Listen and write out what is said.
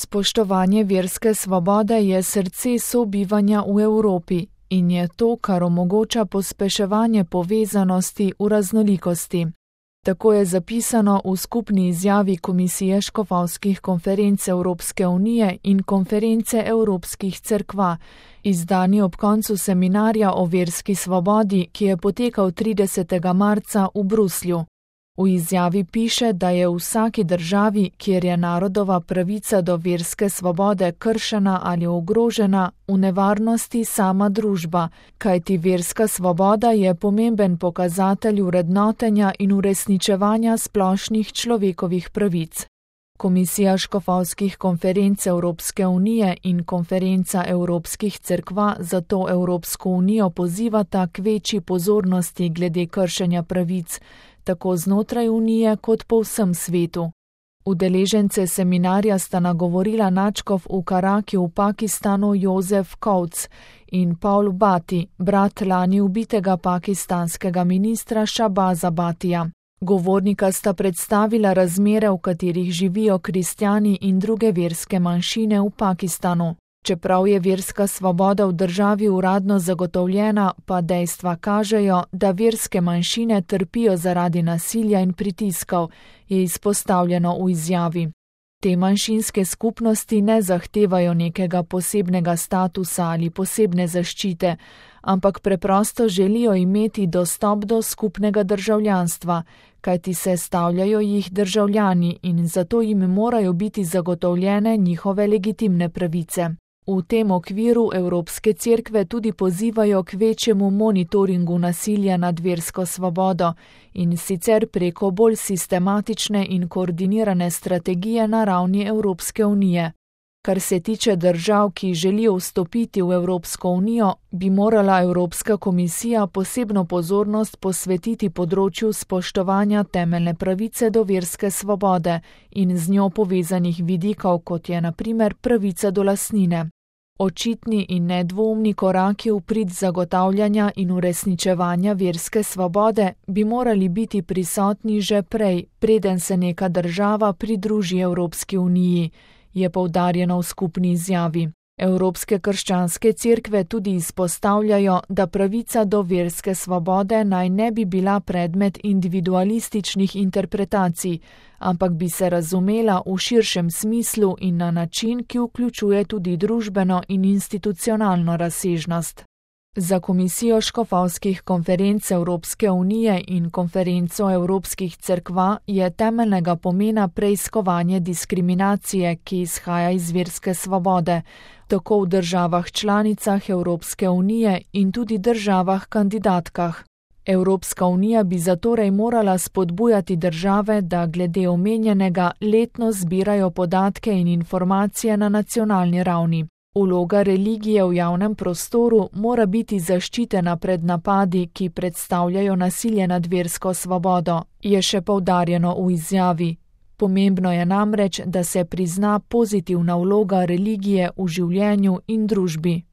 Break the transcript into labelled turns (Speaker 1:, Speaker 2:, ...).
Speaker 1: Spoštovanje verske svobode je srce sobivanja v Evropi in je to, kar omogoča pospeševanje povezanosti v raznolikosti. Tako je zapisano v skupni izjavi Komisije škofovskih konferenc Evropske unije in Konference evropskih cerkva, izdani ob koncu seminarja o verski svobodi, ki je potekal 30. marca v Bruslju. V izjavi piše, da je v vsaki državi, kjer je narodova pravica do verske svobode kršena ali ogrožena, v nevarnosti sama družba, kajti verska svoboda je pomemben pokazatelj vrednotenja in uresničevanja splošnih človekovih pravic. Komisija škofovskih konferenc Evropske unije in Konferenca evropskih cerkva zato Evropsko unijo pozivata k večji pozornosti glede kršenja pravic, tako znotraj unije kot po vsem svetu. Udeležence seminarja sta nagovorila nadškof v Karaki v Pakistanu Jozef Kovc in Paul Bati, brat lani ubitega pakistanskega ministra Shahbaza Batija. Govornika sta predstavila razmere, v katerih živijo kristjani in druge verske manjšine v Pakistanu. Čeprav je verska svoboda v državi uradno zagotovljena, pa dejstva kažejo, da verske manjšine trpijo zaradi nasilja in pritiskov, je izpostavljeno v izjavi. Te manjšinske skupnosti ne zahtevajo nekega posebnega statusa ali posebne zaščite, ampak preprosto želijo imeti dostop do skupnega državljanstva, kajti sestavljajo jih državljani in zato jim morajo biti zagotovljene njihove legitimne pravice. V tem okviru Evropske cerkve tudi pozivajo k večjemu monitoringu nasilja nad versko svobodo in sicer preko bolj sistematične in koordinirane strategije na ravni Evropske unije. Kar se tiče držav, ki želijo vstopiti v Evropsko unijo, bi morala Evropska komisija posebno pozornost posvetiti področju spoštovanja temeljne pravice do verske svobode in z njo povezanih vidikov, kot je na primer pravica do lastnine. Očitni in nedvoumni koraki v prid zagotavljanja in uresničevanja verske svobode bi morali biti prisotni že prej, preden se neka država pridruži Evropski uniji, je poudarjeno v skupni izjavi. Evropske krščanske cerkve tudi izpostavljajo, da pravica do verske svobode naj ne bi bila predmet individualističnih interpretacij, ampak bi se razumela v širšem smislu in na način, ki vključuje tudi družbeno in institucionalno razsežnost. Za Komisijo škofovskih konferenc Evropske unije in Konferenco evropskih cerkva je temeljnega pomena preiskovanje diskriminacije, ki izhaja iz verske svobode, tako v državah članicah Evropske unije in tudi državah kandidatkah. Evropska unija bi zatorej morala spodbujati države, da glede omenjenega letno zbirajo podatke in informacije na nacionalni ravni. Vloga religije v javnem prostoru mora biti zaščitena pred napadi, ki predstavljajo nasilje nad versko svobodo, je še poudarjeno v izjavi. Pomembno je namreč, da se prizna pozitivna vloga religije v življenju in družbi.